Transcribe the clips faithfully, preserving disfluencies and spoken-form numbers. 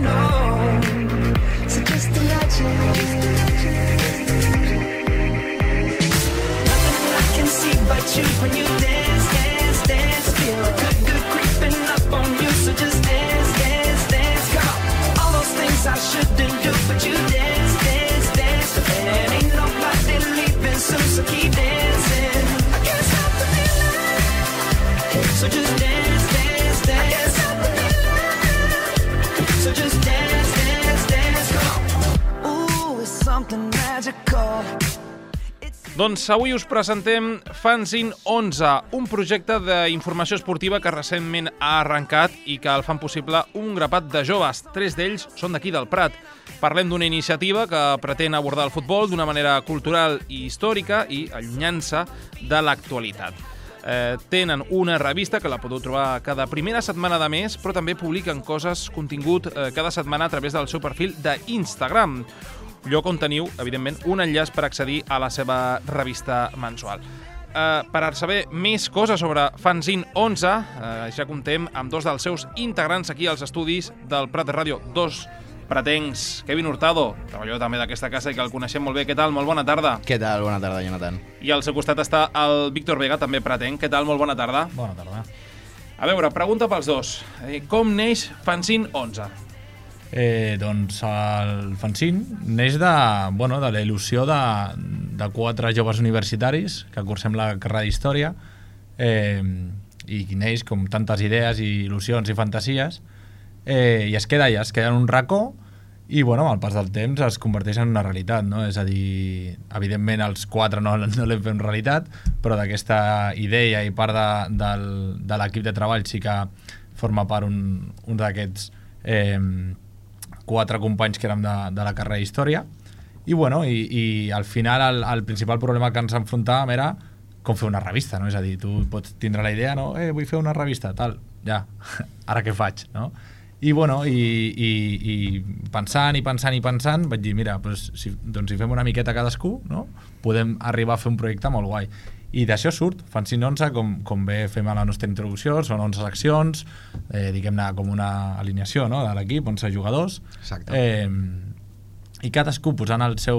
know. So just imagine, nothing I can see but you when you dance, dance, dance. Feel good, good creeping up on you. So just dance, dance, dance. Come on, all those things I shouldn't do, but you dance, dance, dance. And ain't nobody leaving soon, so keep dancing. I can't stop the feeling. So just dance, dance, dance. I can't stop the feeling. So just dance, dance, dance. Come on. Ooh, it's something magical. Doncs avui us presentem Fanzine onze, un projecte d'informació esportiva que recentment ha arrencat i que el fan possible un grapat de joves. Tres d'ells són d'aquí del Prat. Parlem d'una iniciativa que pretén abordar el futbol d'una manera cultural i històrica i allunyant-se de l'actualitat. Eh, tenen una revista que la podeu trobar cada primera setmana de mes, però també publiquen coses, contingut eh, cada setmana a través del seu perfil d'Instagram, lloc on teniu, evidentment, un enllaç per accedir a la seva revista mensual. Eh, per saber més coses sobre Fanzine onze, eh, ja comptem amb dos dels seus integrants aquí als estudis del Prat de Ràdio, dos pratencs. Kevin Hurtado, treballador també d'aquesta casa i que el coneixem molt bé. Què tal? Molt bona tarda. Què tal? Bona tarda, Jonathan. I al seu costat està el Víctor Vega, també pratenc. Què tal? Molt bona tarda. Bona tarda. A veure, pregunta pels dos. Eh, com neix Fanzine onze? Eh, doncs el fanzine neix de, bueno, de la il·lusió de, de quatre joves universitaris que cursem la carrera d'Història eh, i neix com tantes idees i il·lusions i fantasies eh, i es queda allà, es queda en un racó i bueno, amb el pas del temps es converteix en una realitat, no? És a dir, evidentment els quatre no, no l'hem fet en realitat, però d'aquesta idea i part de, del, de l'equip de treball sí que forma part un, un d'aquests eh, quatre companys que érem de, de la carrera d'Història i, bueno, i, i al final el, el principal problema que ens enfrontàvem era com fer una revista, no? És a dir, tu pots tindre la idea, no? Eh, vull fer una revista, tal, ja, ara què faig, no? I, bueno, i, i, i pensant i pensant i pensant vaig dir, mira, doncs, si, doncs si fem una miqueta cadascú, no? Podem arribar a fer un projecte molt guai. I d'això surt Fanzine onze, com, com bé fem a la nostra introducció, són onze seccions, eh, diguem-ne com una alineació, no?, de l'equip, onze jugadors. Exacte. Eh, I cadascú posant el seu,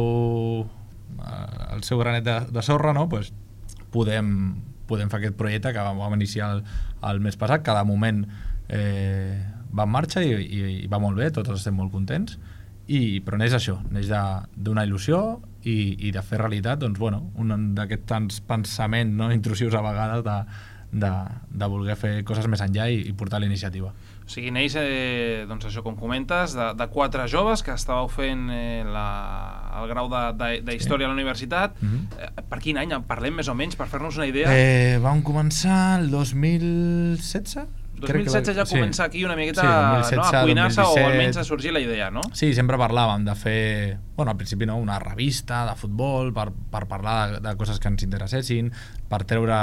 el seu granet de, de sorra, no?, pues, podem, podem fer aquest projecte que vam iniciar el, el mes passat. Cada moment eh, va en marxa i, i, i va molt bé, tots estem molt contents. I, però neix això, neix d'una il·lusió i, i de fer realitat, doncs, bueno, un d'aquests tants pensaments, no, intrusius a vegades de, de, de voler fer coses més enllà i, i portar la iniciativa. O sigui, neix, eh, doncs això, com comentes, de, de quatre joves que estàveu fent eh, la, el grau de, de, de Història sí. a la universitat. Mm-hmm. eh, per quin any? Parlem més o menys, per fer-nos una idea? Eh, vam començar el dos mil setze? dos mil setze ja sí. comença aquí una miqueta sí, no, a cuinar-se o almenys a sorgir la idea, no? Sí, sempre parlàvem de fer, bueno, al principi no, una revista de futbol per, per parlar de, de coses que ens interessessin, per treure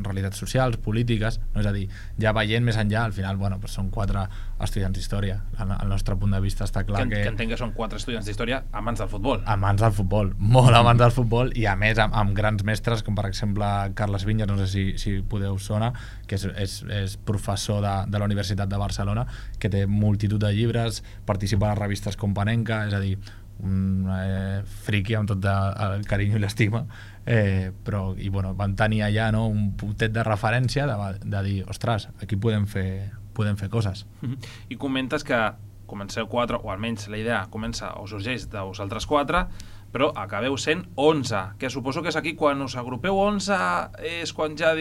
realitats socials, polítiques, no? És a dir, ja veient més enllà, al final, bueno, pues són quatre estudiants d'història. Al nostre punt de vista està clar que... Que, que entenc que són quatre estudiants d'història amants del futbol. Amants del futbol, molt amants del futbol, i a més amb, amb grans mestres, com per exemple Carles Vinyes, no sé si, si podeu sonar, que és, és, és professor de, de la Universitat de Barcelona, que té multitud de llibres, participa a les revistes com Panenka, és a dir, un eh, friqui amb tot de, el carinyo i l'estima, eh, però i, bueno, van tenir allà, no, un putet de referència de, de dir, ostres, aquí podem fer, podem fer coses. I comentes que comenceu quatre, o almenys la idea comença o sorgeix de vosaltres quatre, però acabeu sent onze, que suposo que és aquí quan us agrupeu onze, és quan ja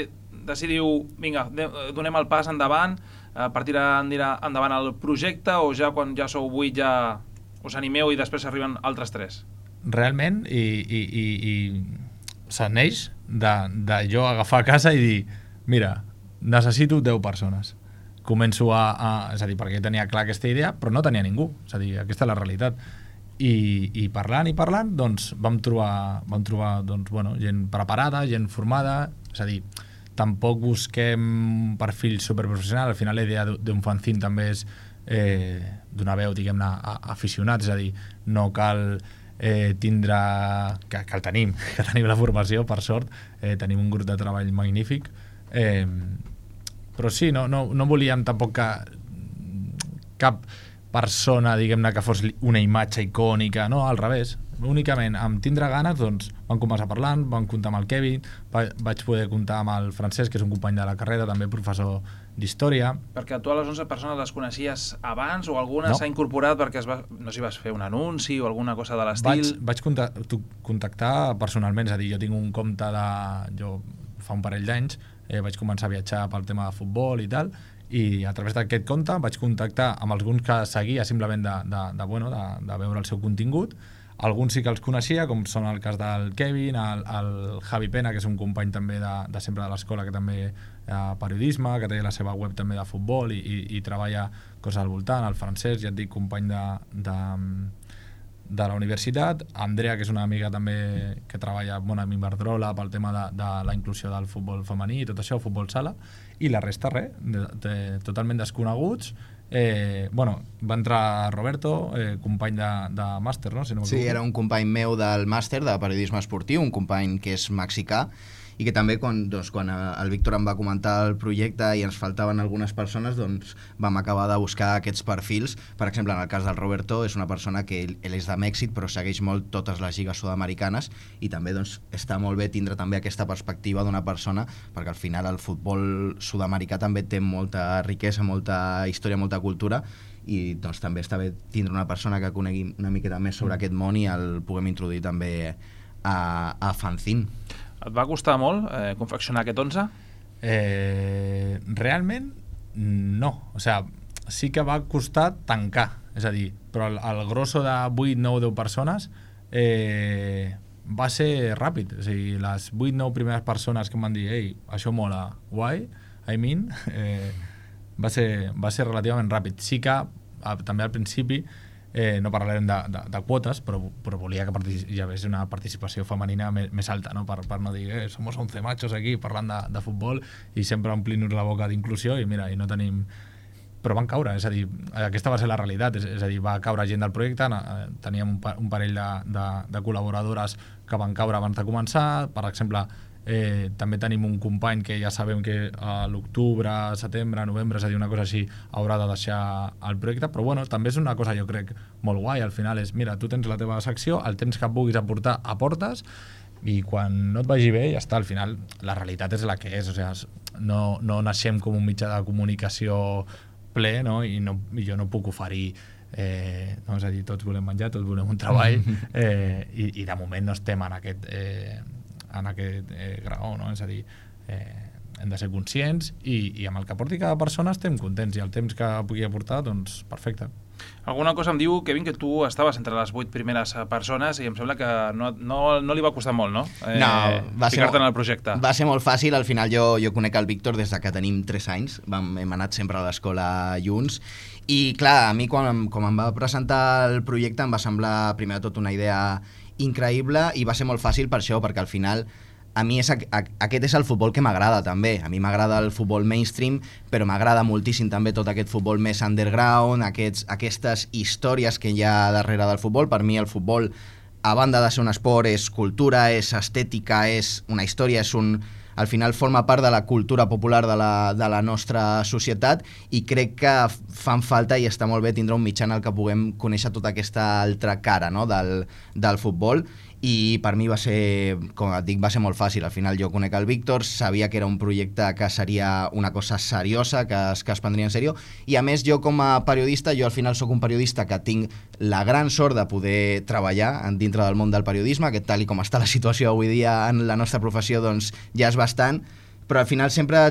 decidiu, vinga, donem el pas endavant per tirar endavant el projecte, o ja quan ja sou vuit ja us animeu i després arriben altres tres? Realment, i, i, i, i se neix de, de jo agafar a casa i dir, mira, necessito deu persones. Començo a, a... És a dir, perquè tenia clar aquesta idea, però no tenia ningú. És a dir, aquesta és la realitat. I, i parlant i parlant, doncs, vam trobar, vam trobar doncs, bueno, gent preparada, gent formada, és a dir, tampoc busquem un perfil superprofessional. Al final la idea d'un fanzine també és eh, donar veu, diguem-ne, aficionats, és a dir, no cal eh, tindre... Que, que el tenim, que tenim la formació, per sort, eh, tenim un grup de treball magnífic, eh, però sí, no, no, no volíem tampoc que cap persona, diguem-ne, que fos una imatge icònica, no, al revés. Únicament amb tindre ganes, doncs, vam començar parlant, vam comptar amb el Kevin, va, vaig poder comptar amb el Francesc, que és un company de la carrera, també professor d'història. Perquè tu a les onze persones les coneixies abans o alguna No. s'ha incorporat perquè es va, no sé si vas fer un anunci o alguna cosa de l'estil? Vaig, vaig contactar, contactar personalment, és a dir, jo tinc un compte de... Jo fa un parell d'anys eh, vaig començar a viatjar pel tema de futbol i tal, i a través d'aquest compte vaig contactar amb alguns que seguia simplement de, de, de, bueno, de, de veure el seu contingut. Alguns sí que els coneixia, com són el cas del Kevin, el, el Javi Pena, que és un company també de, de sempre de l'escola, que també ha periodisme, que té la seva web també de futbol i, i, i treballa coses al voltant, el Francesc, ja et dic, company de, de, de la universitat, Andrea, que és una amiga també que treballa bueno, amb Iberdrola pel tema de, de la inclusió del futbol femení i tot això, futbol sala, i la resta res, de, de, totalment desconeguts. Eh, bueno, va entrar Roberto, eh, company de, de màster, no? Si no Sí, era un company meu del màster de periodisme esportiu, un company que és mexicà, i que també quan, doncs, quan el Víctor em va comentar el projecte i ens faltaven algunes persones, doncs vam acabar de buscar aquests perfils. Per exemple, en el cas del Roberto, és una persona que ell, ell és de Mèxic, però segueix molt totes les lligues sud-americanes, i també doncs, està molt bé tindre també aquesta perspectiva d'una persona, perquè al final el futbol sud-americà també té molta riquesa, molta història, molta cultura, i doncs també està bé tindre una persona que conegui una miqueta més sobre aquest món i el puguem introduir també a, a Fanzine. Et va costar molt eh, confeccionar aquest onze? Eh, realment no, o sigui, sí que va costar tancar, és a dir, però el, el grosso de vuit, nou, deu persones eh, va ser ràpid, o sigui, les vuit, nou primeres persones que em van dir ei, això mola, guai, I mean, eh, va, ser, va ser relativament ràpid. Sí que a, també al principi Eh, no parlarem de, de, de quotes, però, però volia que hi hagués una participació femenina més, més alta, no? Per, per no dir eh, som onze machos aquí parlant de, de futbol i sempre omplint-nos la boca d'inclusió i mira, i no tenim... Però van caure, és a dir, aquesta va ser la realitat, és, és a dir, va caure gent del projecte, teníem un, un parell de, de, de col·laboradores que van caure abans de començar, per exemple, Eh, també tenim un company que ja sabem que a l'octubre, setembre, novembre, és a dir, una cosa així, haurà de deixar el projecte, però bueno, també és una cosa jo crec molt guai, al final és, mira, tu tens la teva secció, el temps que puguis aportar, aportes, i quan no et vagi bé, ja està, al final la realitat és la que és, o sigui, no, no naixem com un mitjà de comunicació ple, no? I, no, i jo no puc oferir eh, no, és a dir, tots volem menjar, tots volem un treball, eh, i, i de moment no estem en aquest... Eh, en aquest eh, grau, no? És a dir, eh, hem de ser conscients i, i amb el que aporti cada persona estem contents i el temps que pugui aportar, doncs perfecte. Alguna cosa em diu, Kevin, que tu estaves entre les vuit primeres persones i em sembla que no, no, no li va costar molt, no? Eh, no, va ser, ficar-te en el projecte. Va ser molt fàcil, al final jo, jo conec el Víctor des de que tenim tres anys, vam, hem anat sempre a l'escola junts, i clar, a mi quan, quan em va presentar el projecte em va semblar primer de tot una idea increïble i va ser molt fàcil per això, perquè al final a mi és, a, a, aquest és el futbol que m'agrada també, a mi m'agrada el futbol mainstream, però m'agrada moltíssim també tot aquest futbol més underground, aquests, aquestes històries que hi ha darrere del futbol. Per mi el futbol, a banda de ser un esport, és cultura, és estètica, és una història, és un... al final forma part de la cultura popular de la, de la nostra societat i crec que fan falta i està molt bé tindre un mitjà en el que puguem conèixer tota aquesta altra cara, no? del, del futbol, i per mi va ser, com et dic, va ser molt fàcil. Al final jo conec el Víctor, sabia que era un projecte que seria una cosa seriosa, que es, que es prendria en sèrio, i a més jo com a periodista, jo al final sóc un periodista que tinc la gran sort de poder treballar dintre del món del periodisme, que tal i com està la situació avui dia en la nostra professió, doncs ja és bastant, però al final sempre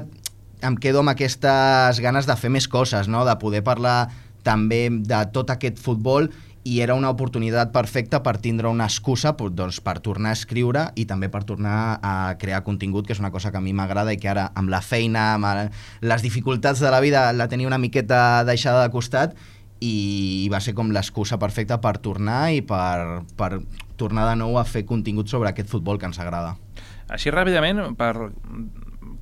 em quedo amb aquestes ganes de fer més coses, no? De poder parlar també de tot aquest futbol, i era una oportunitat perfecta per tindre una excusa doncs, per tornar a escriure i també per tornar a crear contingut, que és una cosa que a mi m'agrada i que ara amb la feina, amb les dificultats de la vida la tenia una miqueta deixada de costat, i va ser com l'excusa perfecta per tornar i per, per tornar de nou a fer contingut sobre aquest futbol que ens agrada. Així ràpidament, per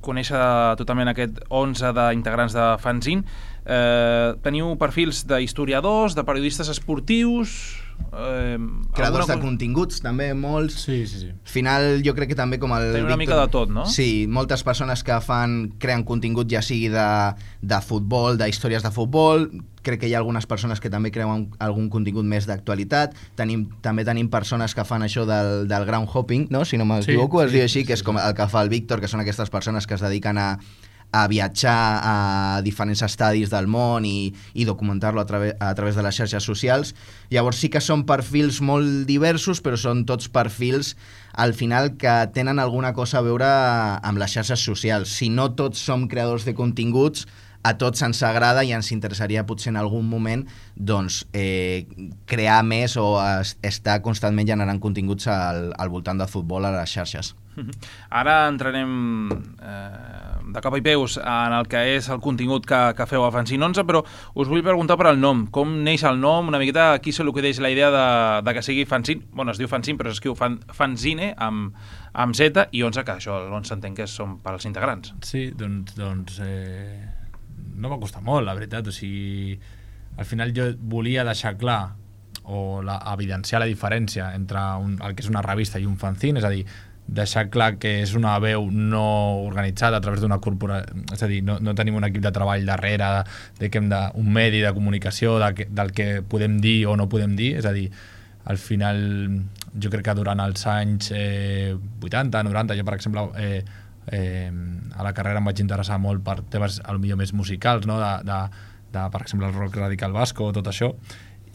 conèixer totalment aquest onze d'integrants de Fanzine, Eh, teniu perfils d'historiadors, de periodistes esportius... Eh, creadors de cosa... continguts també molts. Sí, sí, sí. Al final jo crec que també com el Tenim una Víctor, mica de tot, no? Sí, moltes persones que fan creen contingut ja sigui de, de futbol, d'històries de futbol. Crec que hi ha algunes persones que també creuen algun contingut més d'actualitat. Tenim, també tenim persones que fan això del, del ground hopping, no? Si no m'equivoco, Sí, es diu sí, així, sí, que és sí. com el que fa el Víctor, que són aquestes persones que es dediquen a a viatjar a diferents estadis del món i, i documentar-lo a, trave, a través de les xarxes socials. Llavors sí que són perfils molt diversos, però són tots perfils al final que tenen alguna cosa a veure amb les xarxes socials. Si no tots som creadors de continguts, a tots ens agrada i ens interessaria potser en algun moment doncs, eh, crear més o es, estar constantment generant continguts al, al voltant del futbol a les xarxes. Ara entrarem eh, de cap i peus en el que és el contingut que, que feu a Fanzine onze, però us vull preguntar per el nom. Com neix el nom? Una miqueta a qui se li acudeix la idea de, de que sigui Fanzine? Bueno, es diu Fanzine, però s'escriu fan, Fanzine amb, amb Z i onze, que això l'onze entenc que són per als integrants. Sí, doncs, doncs eh, no va costar molt, la veritat. O sigui, al final jo volia deixar clar o la, evidenciar la diferència entre un, el que és una revista i un fanzine, és a dir, deixar clar que és una veu no organitzada a través d'una corporació, és a dir, no, no tenim un equip de treball darrere de, de que hem de, un medi de comunicació de que, del que podem dir o no podem dir, és a dir, al final jo crec que durant els anys eh, vuitanta, noranta, jo per exemple eh, eh, a la carrera em vaig interessar molt per temes potser més musicals, no? de, de, de, per exemple el rock radical basco, tot això.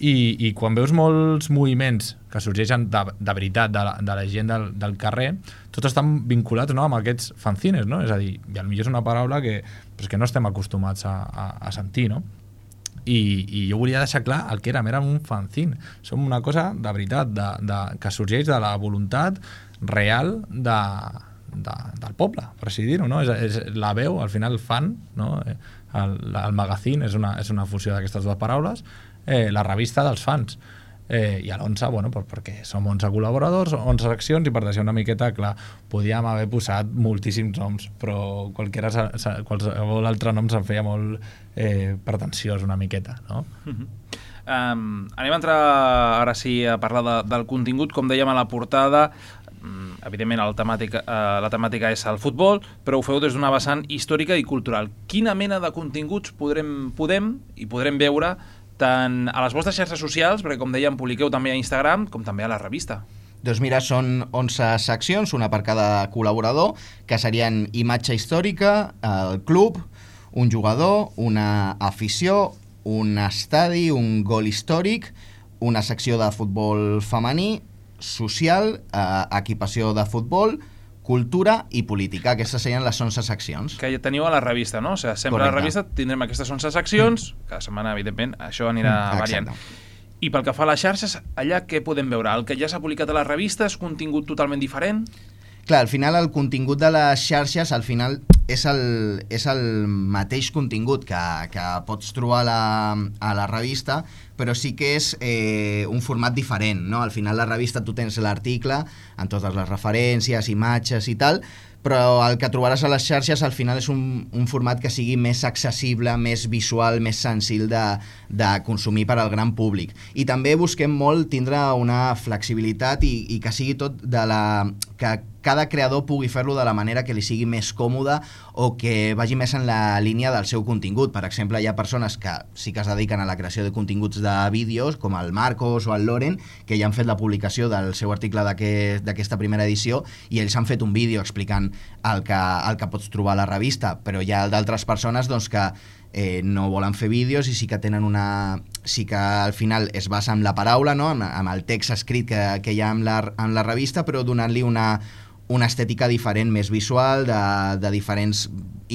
I, i quan veus molts moviments que sorgeixen de, de veritat de la, de la gent del, del carrer, tots estan vinculats, no?, amb aquests fanzines, no? És a dir, i potser és una paraula que, pues, que no estem acostumats a, a, a sentir, no? I, i jo volia deixar clar el que érem, érem un fanzine. Som una cosa de veritat, de, de, que sorgeix de la voluntat real de, de, del poble, per així dir-ho, no? És, és la veu, al final, fan, no? El, el magazine és una, és una fusió d'aquestes dues paraules. Eh, la revista dels fans, eh, i a l'onze, bueno, per, perquè som onze col·laboradors, onze seccions, i per deixar una miqueta clar, podíem haver posat moltíssims noms, però qualsevol, qualsevol altre nom se'n feia molt eh, pretensiós una miqueta, no? Uh-huh. um, anem a entrar ara sí a parlar de, del contingut. Com dèiem a la portada, evidentment el temàtica, eh, la temàtica és el futbol, però ho feu des d'una vessant històrica i cultural. Quina mena de continguts podrem, podem i podrem veure tant a les vostres xarxes socials, perquè com dèiem publiqueu també a Instagram, com també a la revista? Doncs mira, són onze seccions, una per cada col·laborador, que serien imatge històrica, el club, un jugador, una afició, un estadi, un gol històric, una secció de futbol femení, social, eh, equipació de futbol, cultura i política. Aquestes serien les onze seccions. Que teniu a la revista, no? O sigui, sempre Correcte. a la revista tindrem aquestes onze seccions, cada setmana, evidentment, això anirà Mm, variant. exacte. I pel que fa a les xarxes, allà què podem veure? El que ja s'ha publicat a la revista és contingut totalment diferent? Clar, al final el contingut de les xarxes al final és el, és el mateix contingut que, que pots trobar a la, a la revista, però sí que és eh, un format diferent, no? Al final la revista tu tens l'article amb totes les referències, imatges i tal, però el que trobaràs a les xarxes al final és un, un format que sigui més accessible, més visual, més senzill de, de consumir per al gran públic. I també busquem molt tindre una flexibilitat i, i que sigui tot de la... que cada creador pugui fer-lo de la manera que li sigui més còmoda o que vagi més en la línia del seu contingut. Per exemple, hi ha persones que sí que es dediquen a la creació de continguts de vídeos, com el Marcos o el Loren, que ja han fet la publicació del seu article d'aquesta aquest, primera edició i ells han fet un vídeo explicant el que, el que pots trobar a la revista, però hi ha d'altres persones doncs, que eh, no volen fer vídeos i sí que tenen una... sí que al final es basa en la paraula, no? amb, amb el text escrit que, que hi ha en la, en la revista, però donant-li una una estètica diferent, més visual, de, de diferents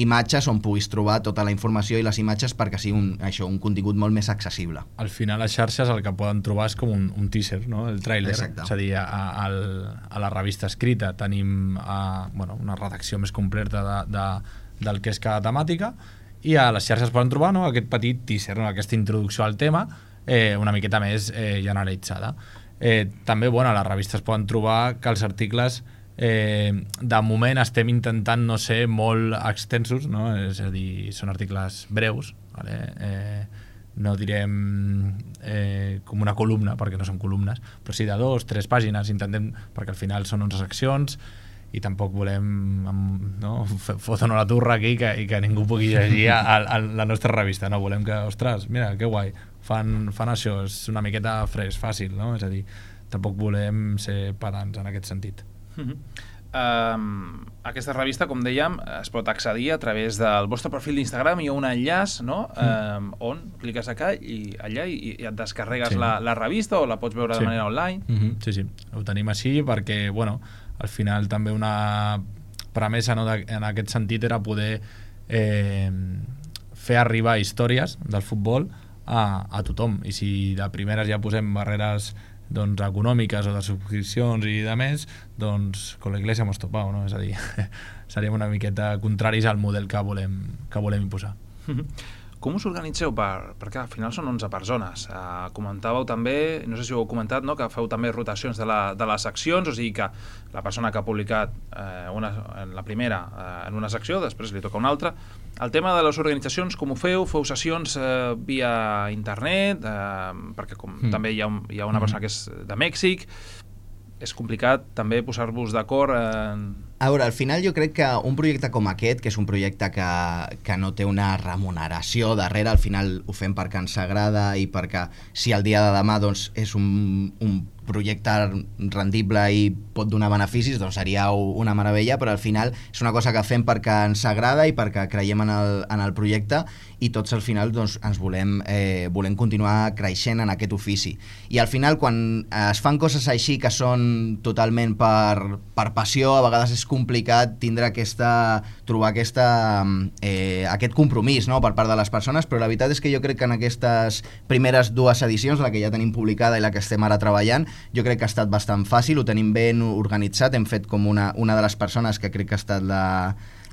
imatges on puguis trobar tota la informació i les imatges perquè sigui un, això, un contingut molt més accessible. Al final les xarxes el que poden trobar és com un, un teaser, no? El tràiler. Exacte. És a dir, a, a, a la revista escrita tenim a, bueno, una redacció més completa de, de, del que és cada temàtica, i a les xarxes poden trobar, no?, aquest petit teaser, no?, aquesta introducció al tema eh, una miqueta més eh, generalitzada. Eh, també, bueno, a les revistes poden trobar que els articles Eh, de moment estem intentant no ser molt extensos, no? És a dir, són articles breus, vale? Eh, no direm eh, com una columna, perquè no són columnes, però sí de dos, tres pàgines, intentem, perquè al final són onze seccions, i tampoc volem no, fotre la turra aquí que, i que ningú pugui llegir a, a la nostra revista, no? Volem que, ostres, mira, que guai, fan, fan això, és una miqueta fresc, fàcil, no? És a dir, tampoc volem ser pedants en aquest sentit. Mm-hmm. Um, aquesta revista, com dèiem, es pot accedir a través del vostre perfil d'Instagram. Hi ha un enllaç, no? Mm. Um, on cliques acá i allà i, i et descarregues sí. la, la revista o la pots veure sí. de manera online. Mm-hmm. Sí, sí, ho tenim així perquè, bueno, al final també una premissa, no, de, en aquest sentit era poder eh, fer arribar històries del futbol a, a tothom, i si de primeres ja posem barreres doncs, econòmiques o de subscripcions i de més, doncs con la iglesia hemos topado, no? És a dir, seríem una miqueta contraris al model que volem, que volem imposar. Mm-hmm. Com us organitzeu? Per, perquè al final són onze persones. Uh, comentàveu també, no sé si ho heu comentat, no? Que feu també rotacions de, la, de les seccions, o sigui que la persona que ha publicat eh, una, en la primera eh, en una secció, després li toca una altra. El tema de les organitzacions, com ho feu? Feu sessions eh, via internet? Eh, perquè com mm. també hi ha, un, hi ha una persona que és de Mèxic. És complicat també posar-vos d'acord en... A veure, al final jo crec que un projecte com aquest, que és un projecte que, que no té una remuneració darrere, al final ho fem perquè ens agrada i perquè si el dia de demà doncs, és un, un projecte rendible i pot donar beneficis, doncs seria una meravella, però al final és una cosa que fem perquè ens agrada i perquè creiem en el, en el projecte i tots al final doncs, ens volem, eh, volem continuar creixent en aquest ofici. I al final quan es fan coses així que són totalment per, per passió, a vegades és complicat tindre aquesta, trobar aquesta, eh, aquest compromís, no?, per part de les persones, però la veritat és que jo crec que en aquestes primeres dues edicions, la que ja tenim publicada i la que estem ara treballant, jo crec que ha estat bastant fàcil, ho tenim ben organitzat, hem fet com una, una de les persones que crec que ha estat la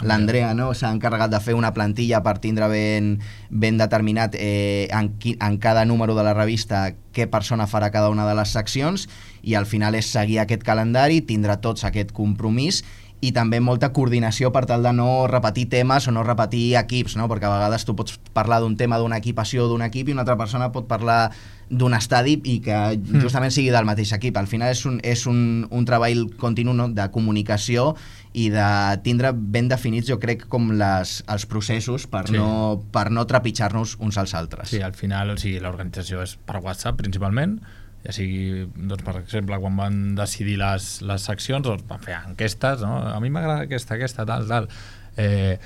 l'Andrea, no? S'ha encarregat de fer una plantilla per tindre ben, ben determinat eh, en, qui, en cada número de la revista què persona farà cada una de les seccions, i al final és seguir aquest calendari, tindre tots aquest compromís i també molta coordinació per tal de no repetir temes o no repetir equips, no? Perquè a vegades tu pots parlar d'un tema d'una equipació d'un equip i una altra persona pot parlar d'un estadi i que justament sigui del mateix equip. Al final és un, és un, un treball continu, no?, de comunicació i de tindre ben definits, jo crec, com les, els processos per, sí. no, per no trepitjar-nos uns als altres. Sí, al final, o sigui, l'organització és per WhatsApp principalment, ja sigui, doncs, per exemple, quan van decidir les, les seccions, doncs van fer enquestes, no? A mi m'agrada aquesta, aquesta, tal, tal. Eh,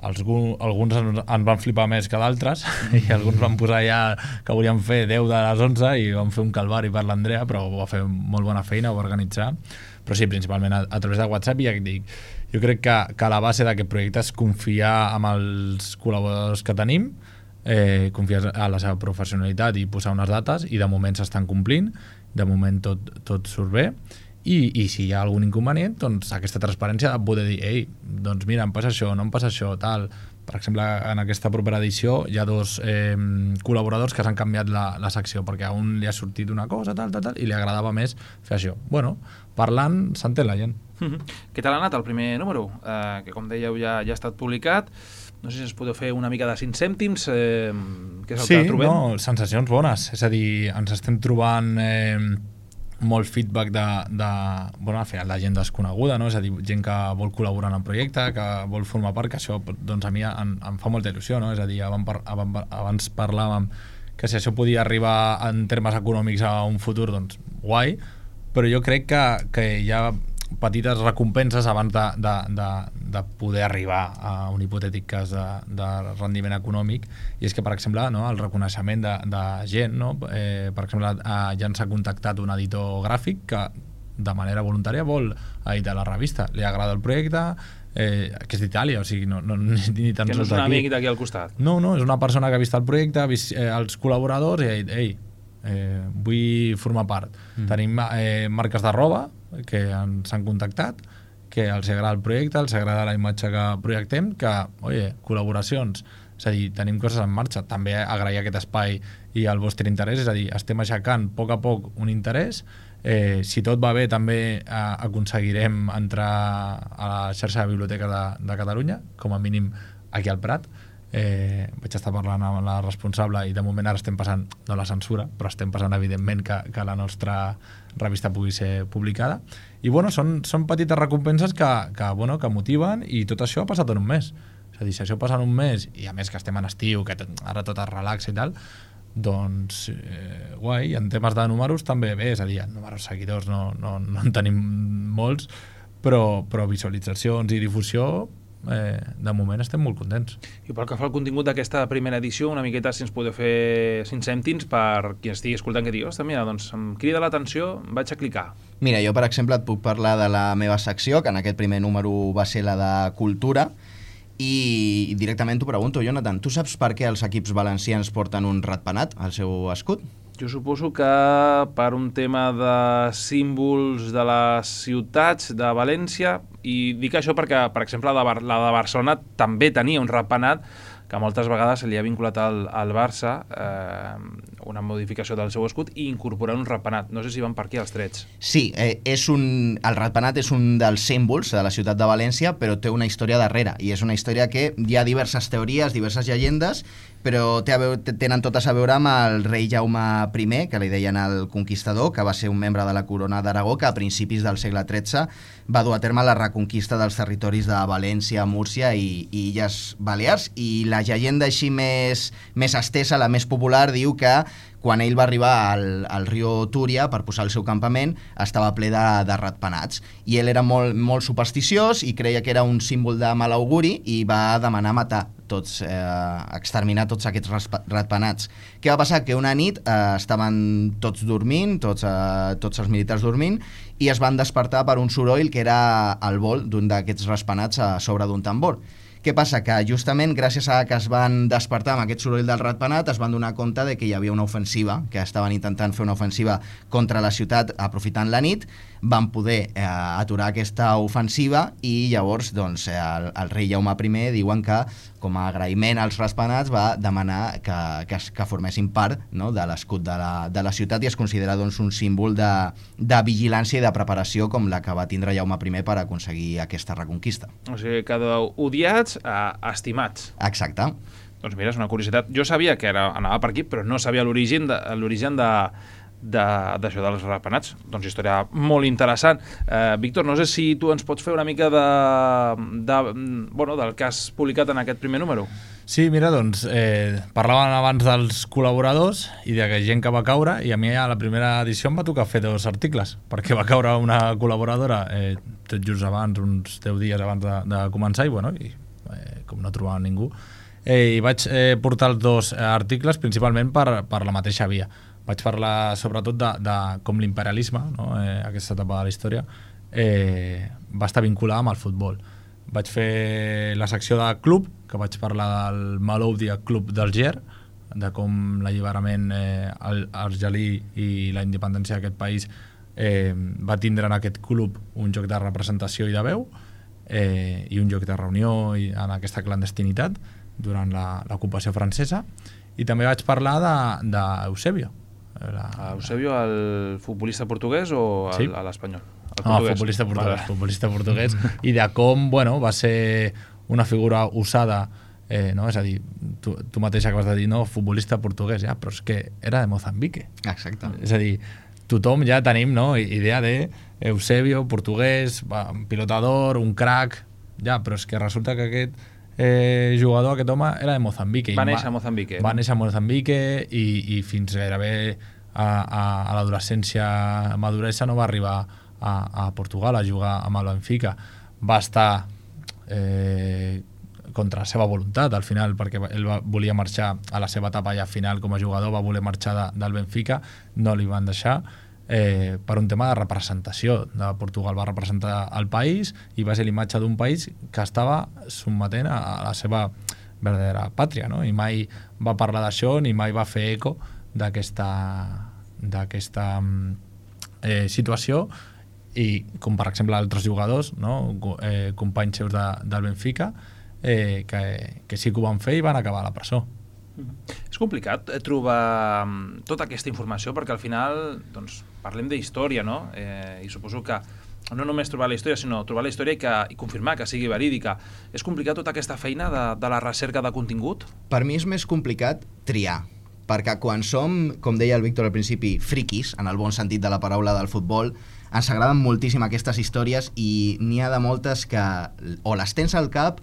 els, alguns en, en van flipar més que d'altres i alguns van posar ja que volien fer deu de les onze i van fer un calvari per l'Andrea, però va fer molt bona feina, ho va organitzar. Però sí, principalment a, a través de WhatsApp, i ja et dic, jo crec que, que la base d'aquest projecte és confiar en els col·laboradors que tenim, eh, confiar a la seva professionalitat i posar unes dates, i de moment s'estan complint, de moment tot, tot surt bé, i, i si hi ha algun inconvenient, doncs aquesta transparència de poder dir, ei, doncs mira, em passa això, no em passa això, tal. Per exemple, en aquesta propera edició hi ha dos eh, col·laboradors que s'han canviat la, la secció perquè a un li ha sortit una cosa, tal, tal, tal, i li agradava més fer això. Bueno, parlant, s'entén la gent. Mm-hmm. Què tal ha anat el primer número? Eh, que com dèieu ja, ja ha estat publicat. No sé si ens podeu fer una mica de cinc cèntims, eh, què és el sí, que trobem? Sí, no, sensacions bones. És a dir, ens estem trobant eh, molt feedback de, de, bueno, al final de gent desconeguda, no? És a dir, gent que vol col·laborar en el projecte, que vol formar part, que això doncs, a mi em, em fa molta il·lusió, no? És a dir, abans, abans parlàvem que si això podia arribar en termes econòmics a un futur, doncs guai, però jo crec que, que hi ha petites recompenses abans de, de, de, de poder arribar a un hipotètic cas de, de rendiment econòmic, i és que, per exemple, no, el reconeixement de, de gent, no? eh, per exemple, eh, ja ens ha contactat un editor gràfic que de manera voluntària vol editar la revista, li agrada el projecte, eh, que és d'Itàlia, o sigui, no, no, ni, ni tan que no és un amic d'aquí al costat. No, no, és una persona que ha vist el projecte, ha vist eh, els col·laboradors i ha dit, ei, eh, vull formar part. Mm. Tenim eh, marques de roba que ens han contactat, que els agrada el projecte, els agrada la imatge que projectem, que, oye, col·laboracions, és a dir, tenim coses en marxa. També agrair aquest espai i el vostre interès, és a dir, estem aixecant a poc a poc un interès. Eh, si tot va bé, també eh, aconseguirem entrar a la xarxa de biblioteca de, de Catalunya, com a mínim aquí al Prat. eh, vaig estar parlant amb la responsable i de moment ara estem passant, no la censura, però estem passant evidentment que, que la nostra revista pugui ser publicada. I bueno, són, són petites recompenses que, que, bueno, que motiven, i tot això ha passat en un mes. És a dir, si això passa en un mes, i a més que estem en estiu, que tot, ara tot es relaxa i tal, doncs eh, guai. En temes de números també bé, és a dir, en números seguidors no, no, no en tenim molts, però, però visualitzacions i difusió, eh, de moment estem molt contents. I pel que fa al contingut d'aquesta primera edició, una miqueta si ens podeu fer cinc cèntims per qui estigui escoltant que digui, ostres, mira, doncs em crida l'atenció, vaig a clicar. Mira, jo per exemple et puc parlar de la meva secció, que en aquest primer número va ser la de cultura, i directament t'ho pregunto, Jonathan, tu saps per què els equips valencians porten un ratpenat al seu escut? Jo suposo que per un tema de símbols de les ciutats de València, i dic això perquè, per exemple, la de, Bar la de Barcelona també tenia un ratpenat que moltes vegades se li ha vinculat al, al Barça eh, una modificació del seu escut i incorporar un ratpenat. No sé si van per aquí els trets. Sí, eh, és un, el ratpenat és un dels símbols de la ciutat de València, però té una història darrere, i és una història que hi ha diverses teories, diverses llegendes, però té a veure, tenen totes a veure amb el rei Jaume primer, que li deien el Conquistador, que va ser un membre de la corona d'Aragó, que a principis del segle tretze va dur a terme la reconquista dels territoris de València, Múrcia i, i Illes Balears, i la llegenda així més, més estesa, la més popular, diu que quan ell va arribar al, al riu Túria per posar el seu campament, estava ple de, de ratpenats, i ell era molt, molt supersticiós i creia que era un símbol de mal auguri i va demanar matar tots, eh, exterminar tots aquests ratpenats. Què va passar? Que una nit eh, estaven tots dormint, tots, eh, tots els militars dormint, i es van despertar per un soroll que era el vol d'un d'aquests ratpenats a sobre d'un tambor. Què passa? Que justament gràcies a que es van despertar amb aquest soroll del ratpenat es van donar compte de que hi havia una ofensiva, que estaven intentant fer una ofensiva contra la ciutat aprofitant la nit, van poder eh, aturar aquesta ofensiva, i llavors doncs, el, el rei Jaume primer diuen que com a agraïment als ratpenats va demanar que, que, que formessin part, no, de l'escut de, la, de la ciutat, i es considera doncs, un símbol de, de vigilància i de preparació com la que va tindre Jaume primer per aconseguir aquesta reconquista. O sigui, que d'odiats a estimats. Exacte. Doncs mira, és una curiositat. Jo sabia que era, anava per aquí, però no sabia l'origen de, l'origen de, d'això de, dels ratpenats. Doncs història molt interessant. Eh, Víctor, no sé si tu ens pots fer una mica de, de, bueno, del que has publicat en aquest primer número. Sí, mira, doncs, eh, parlaven abans dels col·laboradors i de que gent que va caure, i a mi a la primera edició em va tocar fer dos articles, perquè va caure una col·laboradora eh, tot just abans, uns deu dies abans de, de començar, i bueno, i, eh, com no trobava ningú, eh, i vaig eh, portar els dos articles principalment per, per la mateixa via. Vaig parlar sobretot de, de com l'imperialisme, no? eh, aquesta etapa de la història, eh, va estar vinculada amb el futbol. Vaig fer la secció de club, que vaig parlar del Maloudia Club d'Alger, de com l'alliberament eh, argelí i la independència d'aquest país eh, va tindre en aquest club un joc de representació i de veu, eh, i un lloc de reunió i en aquesta clandestinitat durant l'ocupació francesa. I també vaig parlar d'Eusebio. La... Eusebio, el futbolista portuguès o el, sí. l'espanyol? No, futbolista portuguès, futbolista portuguès, i de com, bueno, va ser una figura usada, eh, no? És a dir, tu, tu mateixa acabes de dir, no, futbolista portuguès, ja, però és que era de Mozambique. Exacte. És a dir, tothom ja tenim, no, idea de Eusebio, portuguès, pilotador, un crack, ja, però és que resulta que aquest eh, jugador, aquest home, era de Mozambique. Va néixer a Mozambique. Va néixer a Mozambique i, i fins gairebé a, a, a l'adolescència, maduresa, no va arribar a, a Portugal a jugar amb el Benfica. Va estar eh, contra la seva voluntat al final, perquè ell va, volia marxar a la seva etapa ja final com a jugador, va voler marxar de, del Benfica, no li van deixar eh, per un tema de representació de Portugal. Va representar el país i va ser l'imatge d'un país que estava sotmetent a, a la seva verdadera pàtria, no? I mai va parlar d'això ni mai va fer eco d'aquesta d'aquesta eh, situació, i com per exemple altres jugadors, no? eh, companys seus de, del Benfica, eh, que, que sí que ho van fer i van acabar a la presó. És complicat trobar tota aquesta informació, perquè al final doncs, parlem d'història, no? Eh, i suposo que no només trobar la història, sinó trobar la història i, que, i confirmar que sigui verídica. És complicat tota aquesta feina de, de la recerca de contingut? Per mi és més complicat triar, perquè quan som, com deia el Víctor al principi, friquis, en el bon sentit de la paraula del futbol, ens agraden moltíssim aquestes històries i n'hi ha de moltes que o les tens al cap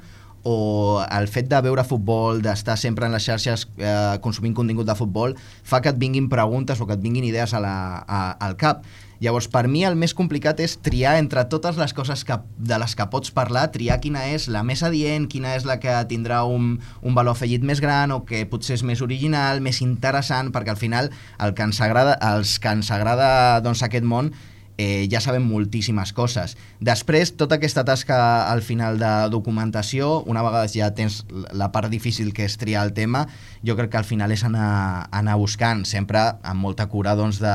o el fet de veure futbol, d'estar sempre en les xarxes eh, consumint contingut de futbol, fa que et vinguin preguntes o que et vinguin idees a la, a, al cap. Llavors, per mi el més complicat és triar entre totes les coses que, de les que pots parlar, triar quina és la més adient, quina és la que tindrà un, un valor afegit més gran o que potser és més original, més interessant, perquè al final el que ens agrada, els que ens agrada doncs, aquest món Eh, ja sabem moltíssimes coses. Després, tota aquesta tasca al final de documentació, una vegada ja tens la part difícil que és triar el tema, jo crec que al final és anar, anar buscant, sempre amb molta cura doncs, de,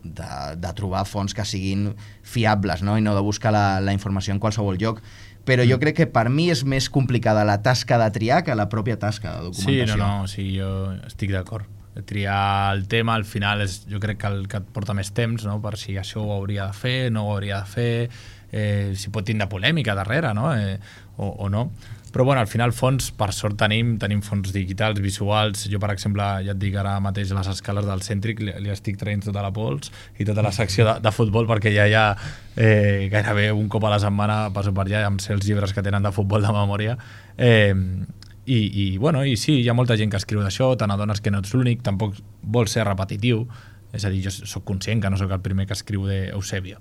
de, de trobar fonts que siguin fiables, no? I no de buscar la, la informació en qualsevol lloc. Però jo crec que per mi és més complicada la tasca de triar que la pròpia tasca de documentació. Sí, no, no, sí, jo estic d'acord. Triar el tema al final és, jo crec que el que et porta més temps, no? Per si això ho hauria de fer, no ho hauria de fer, eh, si pot tindre polèmica darrere, no? Eh, o, o no. Però bueno, al final fons, per sort tenim, tenim fons digitals, visuals. Jo, per exemple, ja et dic ara mateix les escales del Cèntric, li, li estic traient tota la pols i tota la secció de, de futbol, perquè ja hi ha eh, gairebé un cop a la setmana passo per allà amb ser els llibres que tenen de futbol de memòria. Eh, I, i, bueno, i sí, hi ha molta gent que escriu d'això, te n'adones que no ets l'únic, tampoc vols ser repetitiu, és a dir, jo sóc conscient que no sóc el primer que escriu d'Eusebio.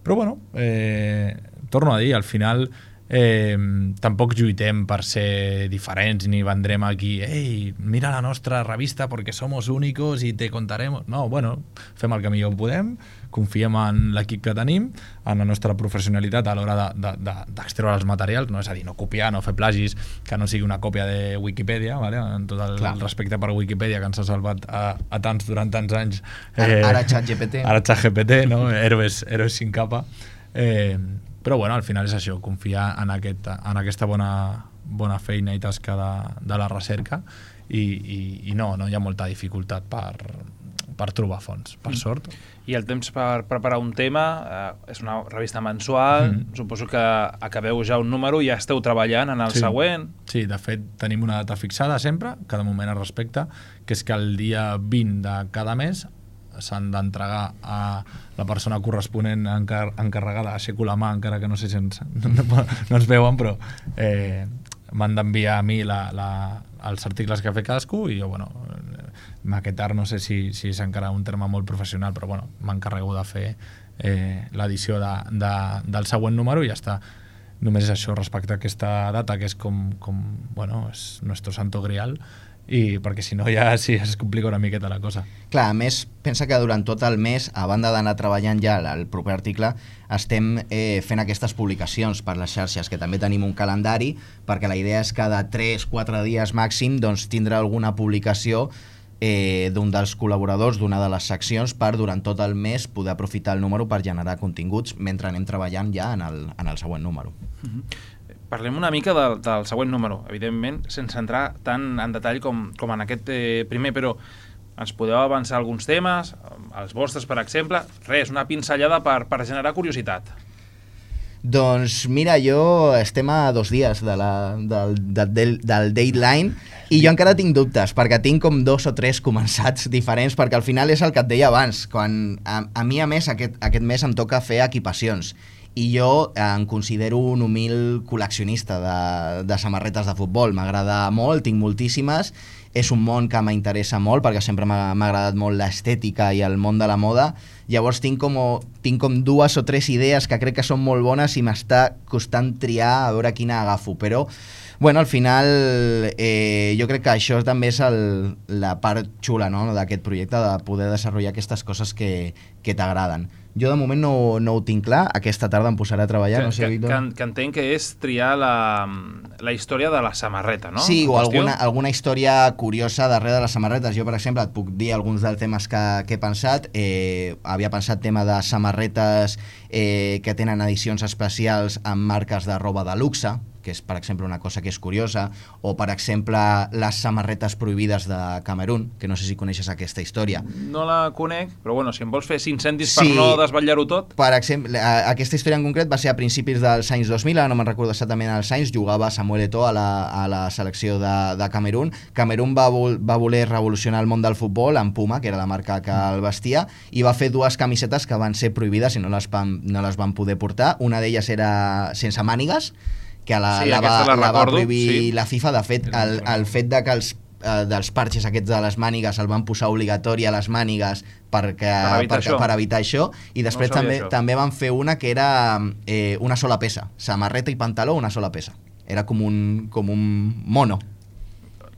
Però bueno, eh, torno a dir, al final eh, tampoc lluitem per ser diferents ni vendrem aquí, ei, mira la nostra revista perquè somos únicos i te contaremos. No, bueno, fem el que millor podem, confiem en l'equip que tenim, en la nostra professionalitat a l'hora d'extreure de, de, els materials, no? És a dir, no copiar, no fer plagis, que no sigui una còpia de Wikipedia, ¿vale? En tot el, el respecte per Wikipedia, que ens ha salvat a, a tants durant tants anys. Eh, ara ChatGPT. Ara ChatGPT, no? Héroes, héroes sin capa. Eh, però bueno, al final és això, confiar en, aquest, en aquesta bona, bona feina i tasca de, de la recerca i, i, i no, no hi ha molta dificultat per, per trobar fons, per sort. I el temps per preparar un tema, eh, és una revista mensual, mm. suposo que acabeu ja un número i ja esteu treballant en el sí. següent. Sí, de fet tenim una data fixada sempre, cada moment es respecta, que és que el dia vint de cada mes s'han d'entregar a la persona corresponent encar encarregada, aixeco la mà encara que no sé si ens, no, no, no ens veuen, però eh, m'han d'enviar a mi la, la, els articles que ha fet cadascú i jo, bueno, maquetar no sé si, si és encara un terme molt professional, però bueno, m'encarrego de fer eh, l'edició de, de, del següent número i ja està. Només és això respecte a aquesta data, que és com, com bueno, és nuestro santo grial, i perquè si no ja sí, es complica una miqueta la cosa. Clar, a més, pensa que durant tot el mes, a banda d'anar treballant ja el proper article, estem eh, fent aquestes publicacions per les xarxes, que també tenim un calendari, perquè la idea és cada tres quatre dies màxim doncs, tindre alguna publicació eh, d'un dels col·laboradors d'una de les seccions per durant tot el mes poder aprofitar el número per generar continguts mentre anem treballant ja en el, en el següent número. Mm-hmm. Parlem una mica del, del següent número, evidentment, sense entrar tant en detall com, com en aquest eh, primer, però ens podeu avançar alguns temes, els vostres, per exemple, res, una pinzellada per, per generar curiositat. Doncs mira, jo estem a dos dies de la, del, del, del deadline i jo encara tinc dubtes, perquè tinc com dos o tres començats diferents, perquè al final és el que et deia abans, quan a, a mi a més aquest, aquest mes em toca fer equipacions i jo em considero un humil col·leccionista de, de samarretes de futbol, m'agrada molt, tinc moltíssimes, és un món que m'interessa molt perquè sempre m'ha agradat molt l'estètica i el món de la moda, llavors tinc com, tinc com dues o tres idees que crec que són molt bones i m'està costant triar a veure quina agafo, però bueno, al final eh, jo crec que això també és el, la part xula, no?, d'aquest projecte, de poder desenvolupar aquestes coses que, que t'agraden. Jo de moment no, no ho tinc clar, aquesta tarda em posaré a treballar. Que, no sé, que, que, que entenc que és triar la, la història de la samarreta, no? Sí, o alguna, alguna història curiosa darrere de les samarretes. Jo, per exemple, et puc dir alguns dels temes que, que he pensat. Eh, havia pensat tema de samarretes eh, que tenen edicions especials amb marques de roba de luxe, que és, per exemple, una cosa que és curiosa, o, per exemple, les samarretes prohibides de Camerún, que no sé si coneixes aquesta història. No la conec, però bueno, si em vols fer cinc cèntims Sí. per no desvetllar-ho tot... Per exemple, a- aquesta història en concret va ser a principis dels anys dos mil, ara no me'n recordo exactament els anys, jugava Samuel Eto'o a la, a la selecció de, de Camerún. Camerún va, vol, va voler revolucionar el món del futbol amb Puma, que era la marca que el vestia, i va fer dues camisetes que van ser prohibides i no les van, no les van poder portar. Una d'elles era sense mànigues, que la, Sí, la, va, aquesta la la va recordo, prohibir sí. la FIFA. De fet, el, el fet de que els eh, dels parxes aquests de les mànigues el van posar obligatori a les mànigues perquè, Per evitar perquè, això. per evitar això, i després No sabia també, això. també van fer una que era eh, una sola peça, samarreta i pantaló, una sola peça. Era com un, com un mono.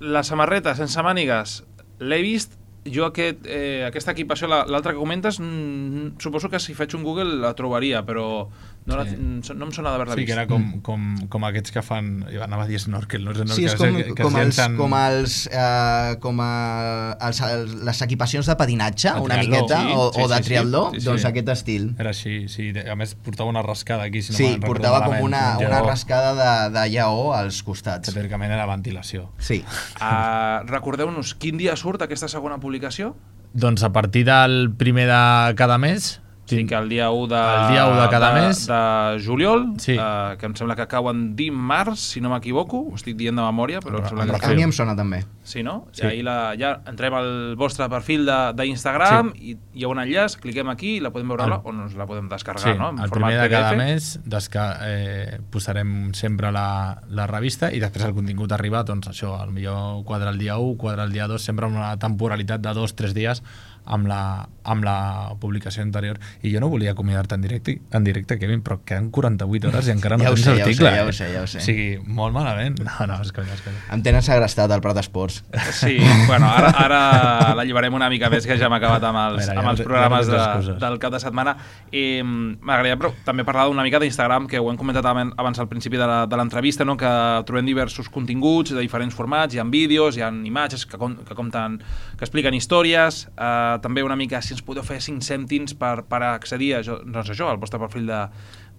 La samarreta sense mànigues l'he vist. Jo aquest, eh, aquesta equipació, la- l'altra que comentes, mm, suposo que si faig un Google la trobaria, però no, la, Sí. no em sona d'haver-la Sí, vist. que era com, com, com aquests que fan... Jo anava a dir snorkel, no? Snorkel, Sí, és com, que, que com, es els, llancen- com, els, eh, com a, els, els, les equipacions de patinatge, De una triatló, miqueta, sí, o, sí, o de sí, sí. triatló, Sí, sí. doncs aquest estil. Era així, sí. A més, portava una rascada aquí, si no Sí, me'n recordo portava com malament, una, un una lleó, rascada de, de lleó als que costats. teòricament era ventilació. Sí. Uh, Recordeu-nos, quin dia surt aquesta segona publicació? Doncs a partir del primer de cada mes... Sí, que el dia u de, El dia u de cada mes. de juliol, Sí. uh, que em sembla que cau en dimarts, si no m'equivoco, ho estic dient de memòria, però em sembla Amb que... A mi em sona també. Sí, no? Sí. I ahir la, ja entrem al vostre perfil d'Instagram sí. i hi ha un enllaç, cliquem aquí i la podem veure El- la, o ens la podem descarregar, Sí, no? En el format primer de cada P D F. mes desca eh, posarem sempre la, la revista i després el contingut arriba, doncs això, al millor quadre el dia u, quadre el dia dos, sempre amb una temporalitat de dos, tres dies amb la, amb la publicació anterior. I jo no volia acomiadar-te en directe, en directe, Kevin, però queden quaranta-vuit hores i encara no Ja ho tens sé, ja ho article. sé, ja ho eh? sé, ja ho sé. O sigui, molt malament. No, no, és conya, és conya. Em tenen segrestat al Prat Esports. Sí, bueno, ara, ara la llibarem una mica més, que ja hem acabat amb els, Mira, ja amb no els té- programes ja no tens de, excuses. del cap de setmana. I m'agradaria però, també parlar una mica d'Instagram, que ho hem comentat aben- abans al principi de la- de l'entrevista, no? Que trobem diversos continguts de diferents formats, hi ha vídeos, hi ha imatges que, com, que compten, que expliquen històries, eh, també una mica si ens podeu fer cinc cèntims per, per accedir a, jo- doncs això, al vostre perfil de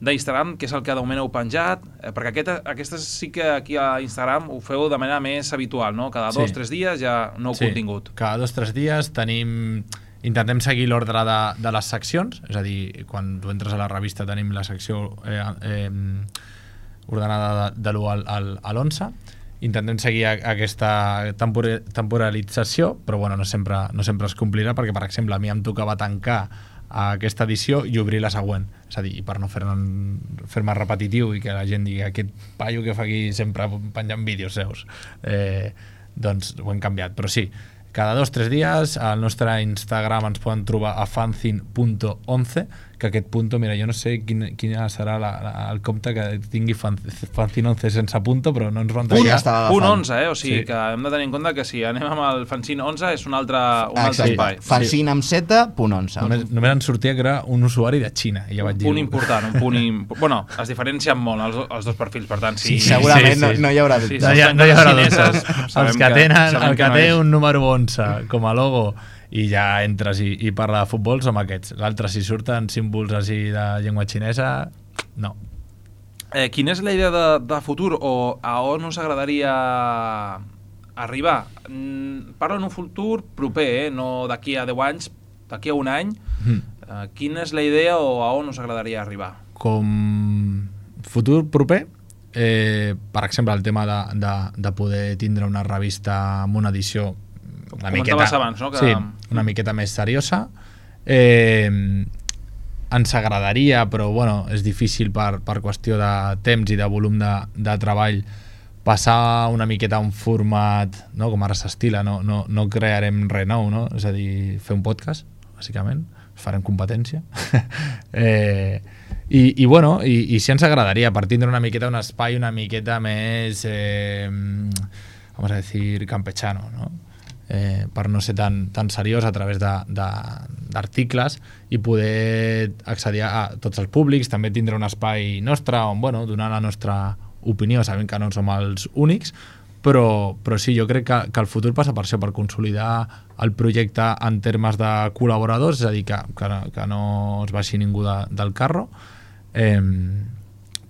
d'Instagram, que és el que de moment heu penjat, eh, perquè aquest, aquestes sí que aquí a Instagram ho feu de manera més habitual, no? Cada dos o Sí. tres dies hi ha nou Sí, contingut. cada dos o tres dies tenim... Intentem seguir l'ordre de, de les seccions, és a dir, quan tu entres a la revista tenim la secció eh, eh, ordenada de, de l'u al, al, a l'onze. Intentem seguir a, aquesta tempor temporalització, però bueno, no sempre, no sempre es complirà, perquè, per exemple, a mi em tocava tancar aquesta edició i obrir la següent. És a dir, per no fer-me fer repetitiu i que la gent digui aquest paio que fa aquí sempre penjant vídeos seus. Eh, doncs ho hem canviat, però sí, cada dos o tres dies al nostre Instagram ens poden trobar a fanzine punto onze, que aquest punto, mira, jo no sé quin, quina serà la, la, el compte que tingui fan, fanzine onze sense punto, però no ens van Punt tallar. estava Punt agafant. onze, eh? O sigui Sí. que hem de tenir en compte que si anem amb el fanzine onze és un altre, un Ah, altre exacte. espai. Fanzine amb seta, punt onze. Només, només en sortia que era un usuari de Xina, i ja vaig Un dir... punt important, un punt... Imp... Bueno, es diferencien molt els, els dos perfils, per tant, si... Sí, segurament sí, no, sí. no hi haurà Sí, dubte. No sí. hi, ha, no hi haurà Xineses, dubtes. sabem Els que que- tenen, sabem el que que no té és. un número onze com a logo i ja entres i, i parla de futbol som aquests. L'altre, si surten símbols així de llengua xinesa, no. Eh, quina és la idea de, de futur o a on us agradaria arribar? Mm, parlo en un futur proper, eh? No d'aquí a deu anys, d'aquí a un any. Mm. Eh, quina és la idea o a on us agradaria arribar? Com futur proper, eh, per exemple, el tema de, de, de poder tindre una revista amb una edició una comentaves miqueta, abans, no? Que- sí, una miqueta més seriosa. Eh, ens agradaria, però bueno, és difícil per, per qüestió de temps i de volum de, de treball passar una miqueta a un format, no? Com ara s'estila, no, no, no crearem res nou, no? És a dir, fer un podcast, bàsicament, farem competència. eh, i, i bueno, i, i sí ens agradaria, per tindre una miqueta un espai una miqueta més, eh, vamos a decir, campechano, no? Eh, per no ser tan, tan seriós a través d'articles i poder accedir a tots els públics, també tindre un espai nostre on, bueno, donar la nostra opinió, sabem que no som els únics, però, però sí, jo crec que, que el futur passa per això, per consolidar el projecte en termes de col·laboradors, és a dir, que, que, no, que no es baixi ningú de, del carro, eh,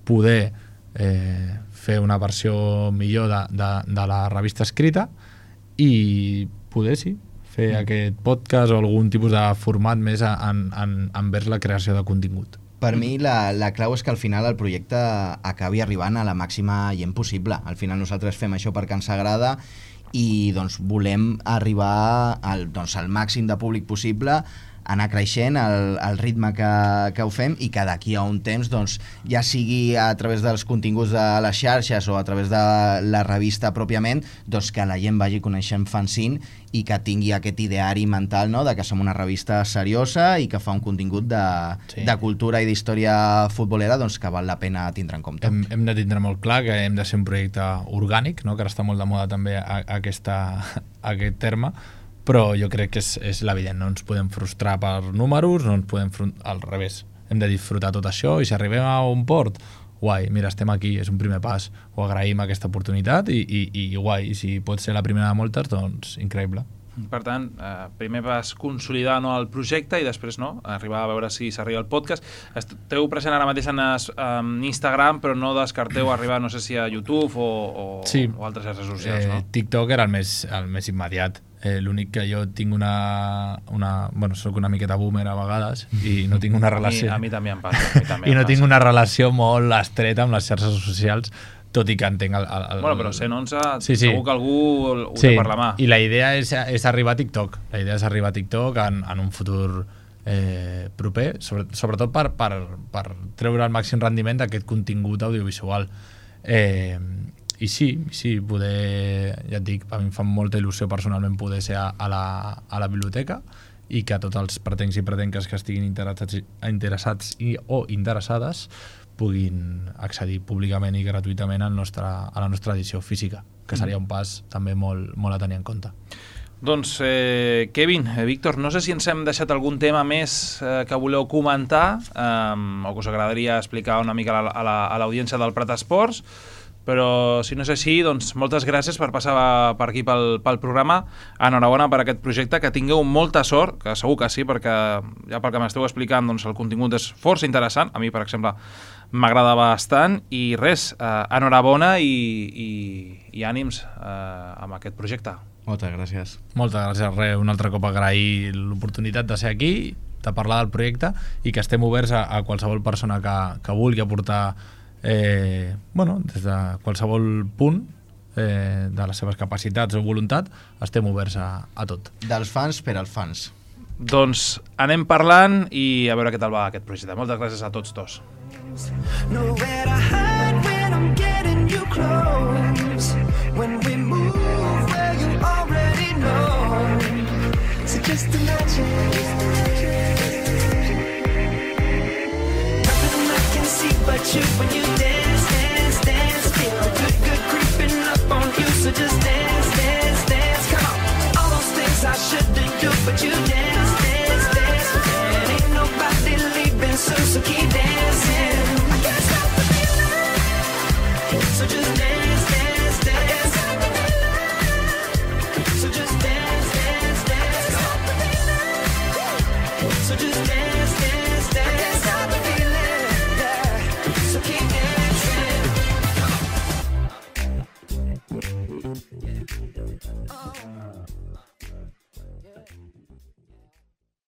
poder eh, fer una versió millor de, de, de la revista escrita i poder, sí, fer mm. aquest podcast o algun tipus de format més en, en, envers la creació de contingut. Per mi la, la clau és que al final el projecte acabi arribant a la màxima gent possible. Al final nosaltres fem això perquè ens agrada i doncs, volem arribar al, doncs, al màxim de públic possible, anar creixent el, el ritme que, que ho fem i que d'aquí a un temps, doncs, ja sigui a través dels continguts de les xarxes o a través de la revista pròpiament, doncs que la gent vagi coneixent Fanzine i que tingui aquest ideari mental, no?, de que som una revista seriosa i que fa un contingut de, sí. de cultura i d'història futbolera, doncs que val la pena tindre en compte. Hem, hem de tindre molt clar que hem de ser un projecte orgànic, no?, que ara està molt de moda també a, a aquesta, a aquest terme, però jo crec que és, és l'evident, no ens podem frustrar per números, no ens podem frustrar, al revés, hem de disfrutar tot això i si arribem a un port, guai, mira, estem aquí, és un primer pas, ho agraïm aquesta oportunitat i, i, i guai, i si pot ser la primera de moltes, doncs increïble. Per tant, eh, primer vas consolidar, no, el projecte i després, no, arribar a veure si s'arriba al podcast. Esteu present ara mateix en, es, en Instagram, però no descarteu arribar, no sé si a YouTube o, o, sí. o altres xarxes socials, eh, no? TikTok era el més, el més immediat. Eh, l'únic que jo tinc una, una... Bueno, soc una miqueta boomer a vegades i no tinc una relació... A mi, a mi també em passa. A mi també I no em tinc passa. una relació molt estreta amb les xarxes socials, tot i que entenc el... el, el bueno, però cent onze, sí, sí. segur que algú ho sí. té per la mà. I la idea és, és arribar a TikTok. La idea és arribar a TikTok en, en un futur eh, proper, sobre, sobretot per, per, per treure el màxim rendiment d'aquest contingut audiovisual. Eh, I sí, sí, poder, ja et dic, a mi em fa molta il·lusió personalment poder ser a, a, la, a la biblioteca i que tots els pretencs i pretenques que estiguin interessats, interessats i, o interessades puguin accedir públicament i gratuïtament al nostre, a la nostra edició física, que seria un pas també molt, molt a tenir en compte. Doncs, eh, Kevin, eh, Víctor, no sé si ens hem deixat algun tema més eh, que voleu comentar eh, o que us agradaria explicar una mica a l'audiència la, del Prat Esports, però si no és així, doncs moltes gràcies per passar per aquí pel, pel programa. Enhorabona per aquest projecte, que tingueu molta sort, que segur que sí, perquè ja pel que m'esteu explicant, doncs el contingut és força interessant, a mi per exemple m'agrada bastant, i res, eh, enhorabona i, i, i ànims eh, amb aquest projecte. Moltes gràcies. Moltes gràcies, res, un altre cop agrair l'oportunitat de ser aquí, de parlar del projecte i que estem oberts a, a qualsevol persona que, que vulgui aportar Eh, bueno, des de qualsevol punt eh, de les seves capacitats o voluntat, estem oberts a, a tot. Dels fans per als fans. Doncs anem parlant i a veure què tal va aquest projecte. Moltes gràcies a tots dos. Nowhere to hide when I'm getting you close. When we move where you already know. So just imagine. But you, when you dance, dance, dance, feel a good, good creeping up on you. So just dance, dance, dance, come on. All those things I shouldn't do, but you dance.